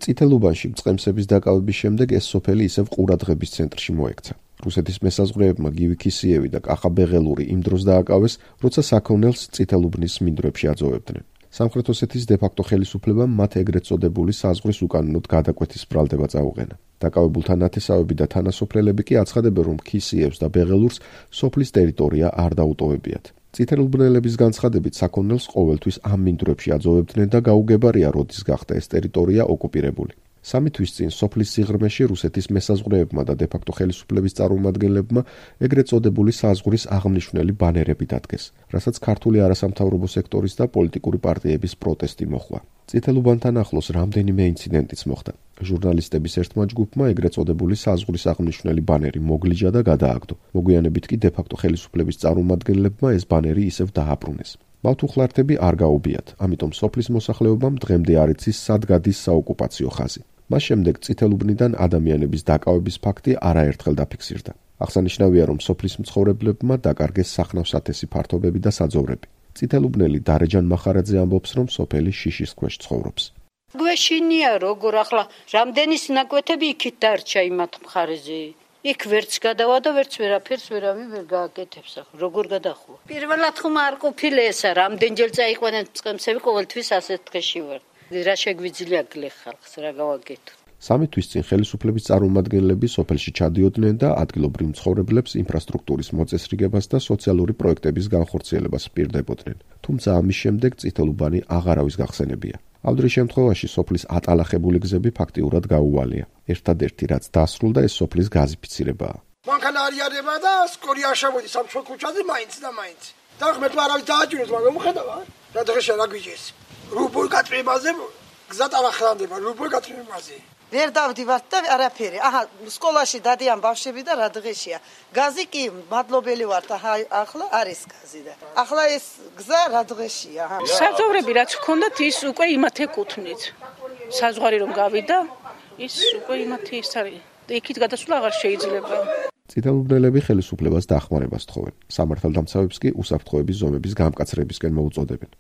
წითელუბანში წყემსების დაკავების შემდეგ ეს სოფელი ისევ ყურადღების ცენტრში მოექცა. რუსეთის მესაზღვრეებმა გივი ქისიევი და კახა ბეღელური იმ დროს დააკავეს, როცა საქონელს წითელუბნის მინდვრებში აძოვებდნენ. სამხრეთ ოსეთის დე-ფაქტო ხელისუფლებამ მათ ეგრეთ წოდებული საზღვრის უკანონოდ გადაკვეთის ბრალდება წაუყენა. დაკავებულთა ნათესავები და თანასოფლელები კი აცხადებენ, რომ ქისიევს და ბეღელურს სოფლის ტერიტორია არ დაუტოვებიათ. წითელუბნელების განცხადებით საქონელს ყოველთვის ამ მინდვრებში აძოვებდნენ და გაუგებარია, როდის გახდა ეს ტერიტორია ოკუპირებული. 3 თვის წინ სოფლის სიღრმეში რუსეთის მესაზღვრეებმა და დე-ფაქტო ხელისუფლების წარმომადგენლებმა ეგრეთ წოდებული საზღვრის აღნიშნული ბანერები დადგეს, რასაც ქართული არასამთავრობო სექტორის და პოლიტიკური პარტიების პროტესტი მოჰყვა. წითელუბანთან ახლოს რამდენიმე ინციდენტიც მოხდა. ჟურნალისტების ერთმა ჯგუფმა ეგრეთ წოდებული საზღვრის აღნიშნული ბანერი მოგლიჯა და გადააგდო. მოგვიანებით კი დე-ფაქტო ხელისუფლების წარმომადგენლებმა ეს ბანერი ისევ დააბრუნეს. მავთუხლართები არ გაუბიათ, ამიტომ სოფლის მოსახლეობამ დღემდე არ იცის სად გადის საოკუპაციო ხაზი. მას შემდეგ წითელუბნიდან ადამიანების დაკავების ფაქტი არაერთხელ დაფიქსირდა. აღსანიშნავია, რომ სოფლის მცხოვრებლებმა დაკარგეს სახნავ-სათესი ფართობები და საძოვრები. წითელუბნელი დარეჯან მახარაძე ამბობს, რომ სოფელი შიშის ქვეშ ცხოვრობს. გვეშინია როგორ ახლა რამდენი სინაკვეთები იქით დარჩა იმათ მხარეზე. იქ ვერც გადავა და ვერც ვერაფერს ვერავინ ვერ გააკეთებს. როგორ გადახვა? პირველად ხომ არ ყოფილა ესა, რამდენჯერ წაიყვანენ წყემსები, ყოველთვის ასეთ დღეში ვარ. რა შეგვიძლია გლე ხალხს რა გავაკეთო. 3 თვის წინ ხელისუფლების წარმომადგენლები სოფელში ჩადიოდნენ და ადგილობრივ მცხოვრებლებს ინფრასტრუქტურის მოწესრიგებას და სოციალური პროექტების განხორციელებას პირდებოდნენ. თუმცა ამის შემდეგ წითელუბანი აღარავის გახსენებია. ამ დროის შემთხვევაში სოფლის ატალახებული გზები ფაქტიურად გაუვალია. ერთადერთი რაც დასრულდა ეს სოფლის გაზიფიცირებაა. მანქანა არიარება და სკორი არ შემოდის სამშო ქუჩაზე მაინც და მაინც. და ხმეთ არავის დააჭიროს, მაგრამ მოხედავა რა დღეშია რა გვიჭეს. რუბულ გაწმებაზე გზა ტალახანდება რუბულ გაწმებაზე. ვერ დავდივართ და არაფერი. აჰა, სკოლაში დადიან ბავშვები და რა დღეშია. გაზი კი მადლობელი ვართ, ახლა არის გაზი და. ახლა ეს გზა რა დღეშია. საძოვრები რაც ჰქონდათ ის უკვე იმათ ეკუთვნით. საზღვარი რომ გავიდა, ის უკვე იმათ ის არის. იქით გადასვლა აღარ შეიძლება. წითელუბნელები ხელისუფლებას დახმარებას თხოვენ. სამართალდამცავებს კი უსაფრთხოების ზომების გამკაცრებისკენ მოუწოდებენ.